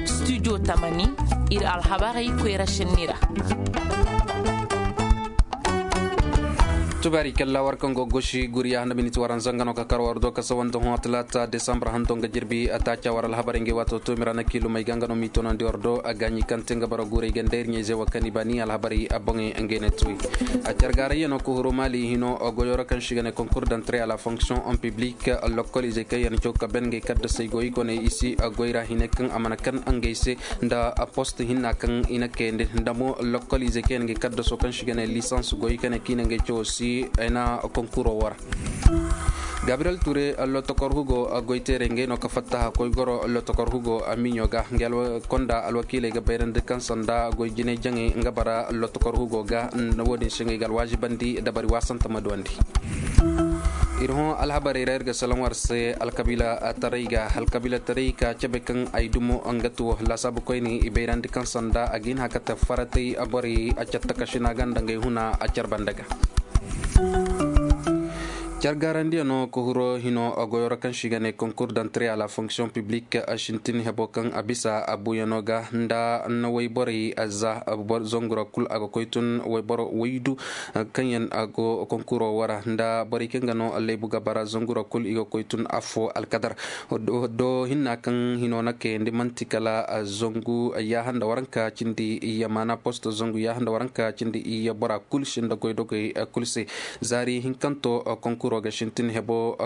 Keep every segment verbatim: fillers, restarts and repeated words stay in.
Studio tamani, ir alhabarey koyra šenni ra. Tubaari kalla war kaŋ go gosi guriya handa miniti waranza nga no ka kar war do ka sawa nda hõ talaata desambar hando nga jirbi a taaca war alhabarey ngey waato to mira na kiilumey ga nga no m'i tonandi war do a gaaɲi kaŋ te nga bara guurey ga nda ir ɲayze wo kaŋ i ba ni alhabarey a boŋey ngey ne tuwi. A cargaarayyanoo ka huru maali hino goyoo ra kaŋ se i ga ne konkur dantre a la fonksiyoŋ en piblik lokoliizey kaŋ yaŋ caw ka ben ngey kaddasey go i koney i si goy ra hine kaŋ a mana kan ngey se nda post hinna kaŋ i na kayandi nda mo lokoliizey kaŋ yaŋ ngey kaddasoo kaŋ se i ga ne lisans go i kane kaŋ i na ngey cawo si ay na konkuroo wara. Gabriyel ture lotokor hugo goyteerey ngey no ka fattaha koy goro lotokor hugo miɲo ga nga konda alwakiiley ga bayrandi kaŋ sanda goy jinay jaŋey nga bara lotokor hugo ga. Wo-din se ngey ga alwaazibandi dabari waasanta ma duwandi. Ir hõ alhabarey ra ir ga salaŋ war se alkabiila taray ga alkabiila taray ka cabe kaŋ ay dumo nga tuwo laasaabu koyne i bayrandi kaŋ sanda a ga hin haka te faratay borey a catta kasina ga nda ngey huna a carbanda ga. Cargaarandiyano ka huro hino goyoro kaŋ se i ga ne konkur dantre a la fonksiyoŋ piblik sintin hebo kaŋ a bisa a buuyano ga nda na wayborey za zangura kul a ga koy tun wayboro waydu kaŋ yaŋ a go konkuro wara nda borey kaŋ ga no laybu ga bara zangura kul i ga koy tun affo alkadar. Do hinna kaŋ hino na kayandi man'ti kala zangu yaaha nda waranka cindi iyye maana posto zangu yaaha nda waranka cindi iyye bora kul sinda goydogey kul se. Zaari hinkanto konkuro ga sintin hebo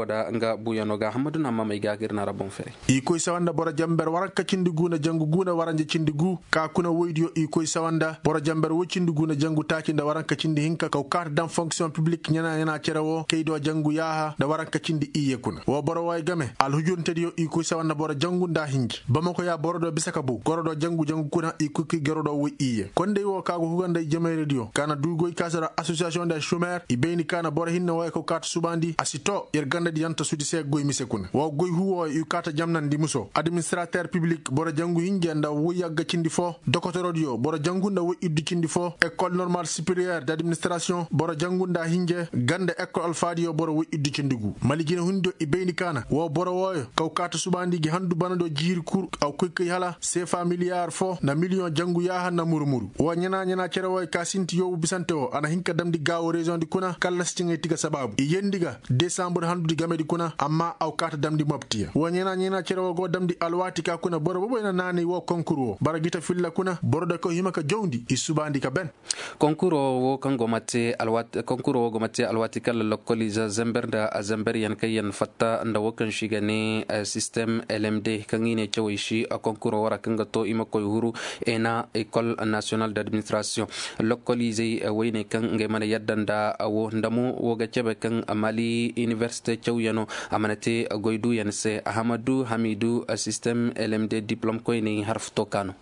da nga buuyano ga hammadu na hamamey ga ga ir na ra boŋ fere. I koy sawa nda boro jamber waranka cindi gu nda jangu gu nda waranja cindi gu ka kuna woydiyo i koy sawa nda boro jamber woy cindi gu nda jangu taaci nda waranka cindi hinka kaw kaata daŋ fonksiyoŋ piblik ɲana ɲana cere wo kay do jangu yaaha nda waranka cindi iyye kuna wo boro wooyo game alhujurntediyo i koy sawa nda boro jangu nda hinji bamako ya boro do bisa ka bu goro do jangu jangu kuna i koy kay goro do woy iyye kondey wo ka go huga nda i jamayrediyo ka na du goy ka se do asosiyasiyoŋ nda šomer i bayni ka na boro hinne wooyo kaw kaata subandi a si to yer gandadi yaŋ ta sudi se goy mise kuna wo goy hu wooyo i kaata jamnandi muso administrater piblik boro jangu hinja nda woy yagga cindi fo dokotorodiyo boro jangu nda woy iddu cindi fo ekol normal superiyer d'administrasiyoŋ boro jangu nda hinje ganda ekol alfaadiyo boro woy iddu cindi gu mali jinehundiyo i bayndi kaana woo boro wooyo kaw kaata subaandi gi handu banadiyo jiiri kur a koy kay hala seefa miliyar fo nda miliyoŋ jangu yaaha nda muru-muru woo ɲanaa ɲanaa cere wooyo ka sinti yoobu bisante woo a na hin ka damndi gaawo reziyoŋdi kuna kallasi ciŋay tiga sabaabu i yendi ga desambur handudi gamedi kuna amma a kaata damndi moptiya woo ɲanaa ɲanaa cere woo go damndi alwaati ka kuna boro boboy na naanay woo konkur woo bara gita filla kuna boro da koy hima ka jawndi i subaandi ka ben. Konkuroo woo kaŋ go ma te alwaati kaŋ la lokkoliize zember nda zemberyaŋ kaŋ yaŋ fatta nda woo kaŋ se i ga ne sistem lmd kaŋ i ne cawey se konkuroo wara kaŋ ga to i ma koy huru ena ekol nasiyonal d'administrasiyoŋ lokkoliizey woyney kaŋ ngey mana yadda nda woo nda mo woo ga cabe kaŋ mali inibersite cawyaŋo a mana te goy duuyaŋ se ahamadu hamidu sistem lmd diplom koyney harfu to ka no.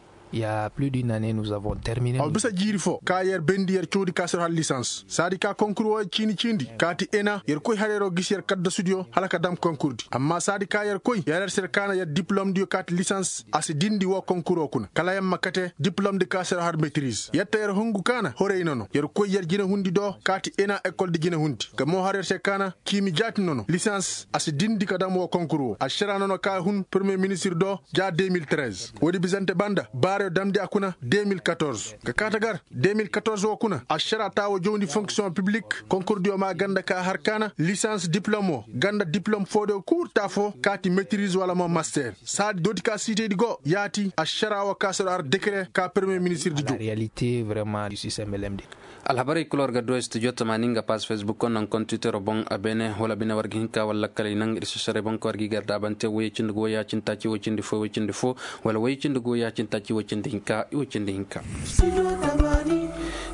Aw bisa jiiri fo ka yer bendi yer cawdi ka se har lisans saadi ka konkur wooyo ciini ciindi kaati ena yer koy har yeroo gisi yer kaddasudiyo hala ka dam konkurdi amma saadi ka yer koy yer har se yer kaana yer diplomdiyo kaati lisans a si dindi woo konkuroo kuna kala yer ma kate diplomdi ka se har metiriz yer ta yer hungu kaana horey nono yer koy yer jinehundi do kaati ena ekoldi jinehundi ka moo har yer se kaana kiimi jaati nono lisans a si dindi ka dam woo konkur woo ašaraa nono ka hun permiye ministir do ja deux mille treize woodi bisante banda baarayo damndi a kuna deux mille quatorze ka kaata gar deux mille quatorze woo kuna ašaraa taa woo jawndi fonksiyoŋ piblik konkurdiyo maa ganda ka har kaana lisans diplom woo ganda diplom foodiyo kuurta foo kaati metiriz wala mo master saadi dooti ka siitaydi go yaati ašaraa woo ka soro har dekere ka permiye ministirdi jaw. Alhabarey kul war ga du studio tamaani nga paas fesbuk naŋ kontitero boŋ a beene wala bine war ga hin ka wala lakkaley naŋ ir si saray boŋ ka war ga i gar daabante woyey cindi go woyey cindi taaci woy cindi fo woy cindi fo wala woyey cindi go woyey cindi taaci woy cindi hinka i woy cindi hinka.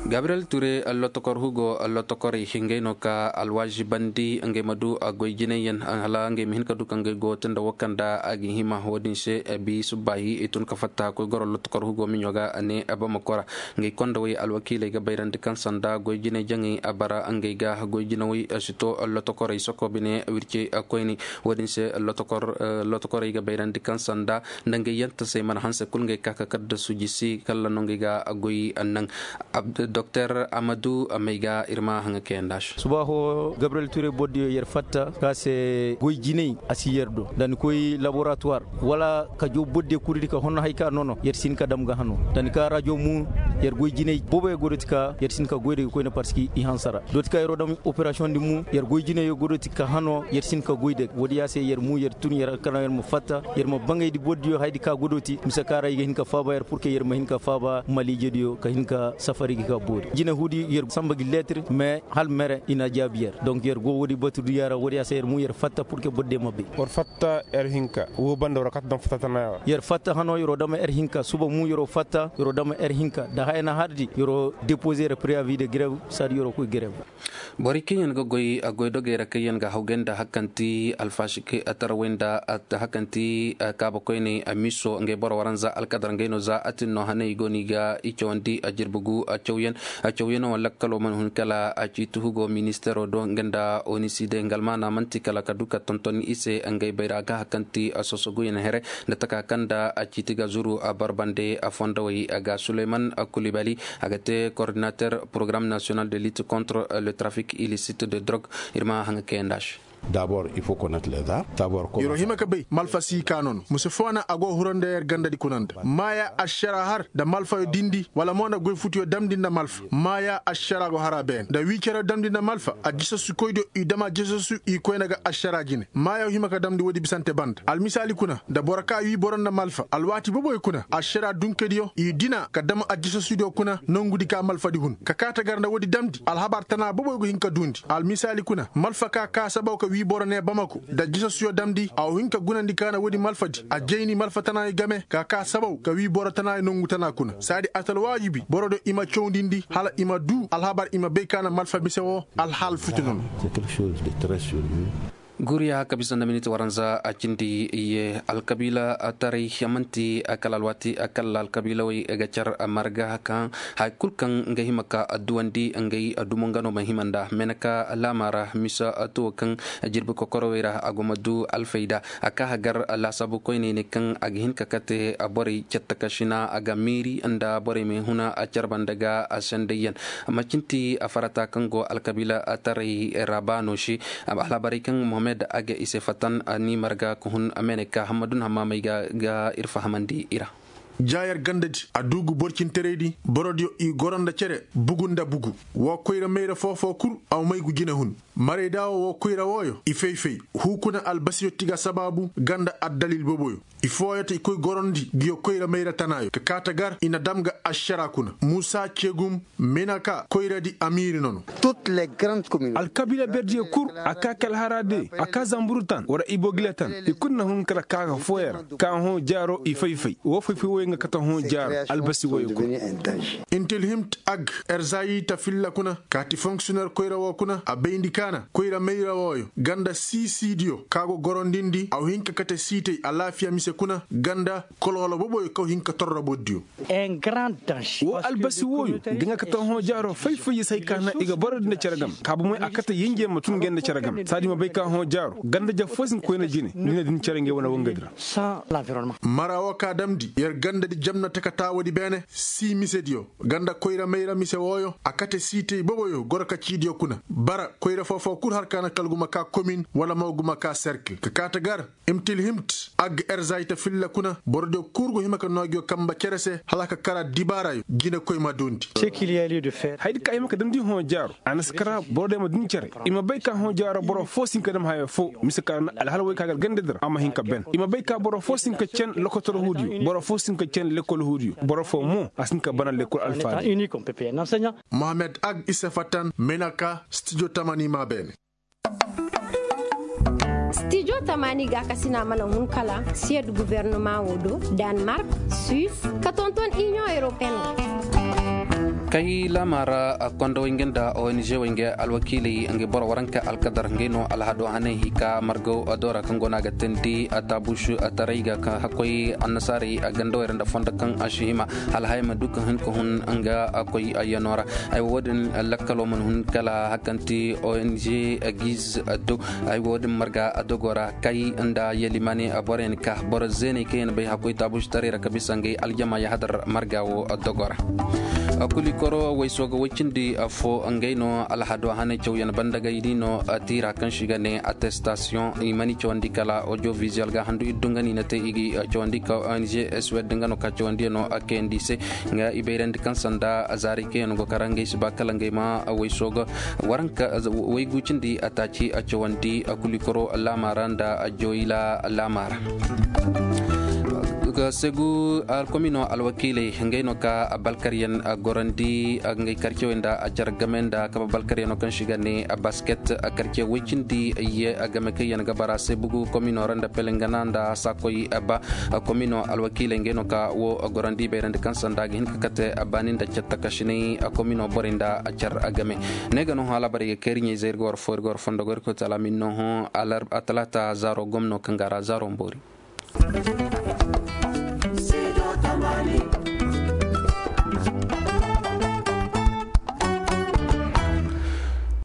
Gabriyel ture lotokor hugo lotokorey ngey no ka alwaazibandi ngey ma du goy jinayyaŋ hala ngey ma hin ka du ka ngey go te nda woo kaŋ nda a ga hima woodin se bi subbaahi i tun ka fatta koy goro lotokor hugo miɲo ga a ne bamako ra. Ngey konda wey alwakiiley ga bayrandi kaŋ sanda goy jinay jaŋey a bara ngey ga goy jina wey si to lotokorey soko bine wirce koyne. Woodin se lotokorey ga bayrandi kaŋ sanda nda ngey yantasey mana hanse kul ngey ka ka kadda suji si kalla no ngey ga goy naŋ. Doktor amadu, may ga ir ma haŋa kayanda se. Subaaho gabriyel ture bordiyo yer fatta ka se goy jinay a si yer do da ni koy laboratuwar, wala ka jaw bordiyo kurdi ka honno hay ka nono yer si hin ka dam ga hano da ni ka rajo mu. Yer goy jinay booboyo godoti ka yer si hin ka goy da ga koyne parski i hansara doti ka yeroo dam operasiyoŋ di mu yer goy jinayo godoti ka hano yer si hin ka goy da woodi ya se yer mu yer tun yer alkanaŋ yer ma fatta yer ma bangay di bordiyo haydi ka godoti mise ka ra i ga hin ka faaba yer purke yer ma hin ka faaba maliijediyo ka hin ka safari ga ka boori jinahuudi yer samba gi leetir mais hal mere i na jaabi yer donk yer go woodi batu duya ra woodi ya se yer mu yer fatta purke bordiyo ma bay. War fatta yer hinka woo banda war kata daŋ fatta tanaaya wa yer fatta hano yeroo dama yer hinka suba mu yeroo fatta yeroo dama yer hinka da haya na hardi yeroo depoze yer preyavi de grev saadi yeroo koy grev. Borey kaŋ yaŋ ga goy goydogey ra kaŋ yaŋ ga hawgay nda hakanti alfaashikey tarawey nda hakanti kaabakoyney miso ngey boro waranza alkadar ngey no za atin no haney i go no i ga i cawandi jirbi gu cawyaŋ. Cawyaŋo lakkalo mana hun kala ciiti hugo ministeero do nga nda onisi day nga almaana man'ti kala ka du ka tonton i se ngey bayra ga hakanti sosoguyaŋ here nda taka kaŋ nda ciiti ga zuru barbande fondowey ga suleyman kulibali. A ga te kordinater porogaram nasiyonal de lit kontre le trafik ilisite de drog. Ir ma haŋa kayanda se. Dabor il faut ko nat leza dabor ko yeroo hima ka bay malfa si ka nono muse foo na a go huranda yer gandadi kuna nda maaya ašara har nda malfayo dindi wala mo nda goy futuyo damndi nda malfa maaya ašara go hara beene nda wii cere damndi nda malfa a jisasu koydiyo i dama jisasu i koyna ga ašara jine maayo hima ka damndi woodi bisante banda almisaali kuna nda boro ka wii boro nda malfa alwaati boboyo kuna ašara dunkediyo i dina ka dam ajisasudiyo kuna nongudi ka malfadi hun ka kaa ta gar nda woodi damndi alhabar tana boboyo go hin ka duundi almisaali kuna malfa ka kaa sabaw ka wii boro nee bamako nda jisasuyo damndi a wo hin ka gunandi ka na woodi malfadi a jayni malfa tanaayo game ka kaa sabaw ka wii boro tanaayo nongu tana kuna saadi a ta alwaajibi borodiyo i ma cawndindi hala i ma duu alhabar i ma bay ka na malfa mise woo alhaal futu nono. Guriya ka bisa nda miniti waranza a cindi ye alkabiila taray man'ti kala alwaati kala alkabiilawey ga car marga kaŋ haya kul kaŋ nga hima ka duwandi ngey dumo nga no ma hima nda meenaka laama ra misa tuwo kaŋ jirbi kokorowey ra a go ma du alfayda a ka hagar laasaabu koyney ne kaŋ a ga hin ka kate borey cattakašina a ga miiri nda borey ma huna car banda ga sendayyaŋ. Macinti farata kaŋ go alkabiila taray ra ba no se alhabarey kaŋ mohammed a ga i se fatan ni marga ka hun a meenay ka hammadun hammaamey ga ir fahamandi i ra. Jaayar gandadi a duugu borcintaraydi borodiyo i goro nda cere bugu nda bugu woo koyra mayra foofoo kul a may gu jinehun. Marayda woo woo koyra wooyo i fay-fay huu kuna albasiyo ti ga sabaabu ganda addalil boboyo i fooyo ta i koy gorondi nguyo koyra mayra tanaayo ka kaa ta gar i na dam ga ašara kuna muusa cegum meenaka koyradi amiiri nono. Alkabiila berdiyo kul a kaa kalhara de a kaa zamburu tan wara ibogila tan i kul na hun kala kaa ga fooyo ra kaa hõ jaaro i fay-fay woo fay-fay wooyo nga kate hõ jaaro albasi wooyo kul. Intilhimt ag erzayita filla kuna kaati fonksiyoner koyra woo kuna a bayndi kaana koyra mayra wooyo ganda siisiidiyo kaa go gorondindi a wa hin ka kate siitay alaafiya mise kuna ganda kolkolo boboyo kaw hin ka torro bordiyo. Woo albasi wooyo ga nga kate hõ jaaro fay-fay ya se hay ka na i ga boro din da cere game ka bomoy a kate yinjey ma tun ngey nda cere game saadi ma bay ka hõ jaaro ganda ja foo si hin ka koyna jine ni na din cere ngey wane wangadi ra. Mara woo ka damndi yer gandadi jamna taka taawoodi beene sii misediyo ganda koyra mayra mise wooyo a kate siitay boboyo goro ka ciidiyo kuna bara koyra foofoo kul har ka na kala guma kaa komin wala mo guma kaa serkil ka kaa ta gar imtilhimt ag erzayta filla kuna borodiyo kul go hima ka noo nguyo kamba cere se hala ka kara dibaarayo jinekoy ma duundi. Hayadi ka hima ka damndi hõ jaaro a na si kara borodiyo ma duundi cere i ma bay ka hõ jaaro boro foo si hin ka dam haya foo mise ka na alhala woy ka gar gandadi ra a ma hin ka ben i ma bay ka boro foo si hin ka cen lokotor huudiyo boro foo si hin ka cen lekol huudiyo boro foo mo a si hin ka bana lekol alfaadi. Mohammed ag isa fatan menaka stijo tamani maa beene. Stijo tamani gaakasina mana hun kala siyed gubernumaŋo do, danmark, suis, ka tonton iniyoŋ europeen. Kay laama ra kondowey nga nda ong wey nga alwakiiley nga boro waranka alkadar ngey no alhado hanay hika margaw do ra kaŋ go no a ga teendi taabuš taray ga ka hakkoy annasaarey gandawey ra nda fondo kaŋ a si hima hala haya ma du ka hin ka hun nga koy yano ra. Ay wo wo-din lakkalo mana hun kala hakanti ong giz do. Ay wo wo-din marga dogo ra kay nda yalimaane borey na ka boro zeeney kaŋ yaŋ bay hakkoy taabuš taray ra ka bisa ngey aljama yahadar marga wo dogo ra. Kulikoro wayso ga way cindi fo ngey no alhado hanay cawyaŋ banda ga i di no, tiira kaŋ se i ga ne attestation i mana i cawandi kala audio visuel ga handu iddu nga no i na te i ga cawandi ka ong swed nga no ka cawandiyaŋo kayandi i se. Nga i bayrandi kaŋ sanda zaari kaŋ yaŋ go kara ngey si ba kala ngey ma wayso ga waranka waygu cindi a taaci a cawandi kulikoro laama ra nda joyla laama ra. Segu komino alwakiiley ngey no ka balkaryaŋ gorandi ngey karcewey nda a car game nda kaba balkaryaŋo kaŋ se i ga ne basket karce way cindi ye game kaŋ yaŋ ga bara se bugu komino ra nda pelengana nda sakoy ba. Komino alwakiiley ngey no ka wo gorandi bayrandi kaŋ sanda ga hin ka kate baani nda cattakasinay komino borey nda a car game. Ne ga no hã alaabarey ga kay iri ɲayzey iri ga war fo iri ga war fondo go iri koy tala min no hõ. Atalaata zaaro gomno kaŋ ga ra zaaro mboori.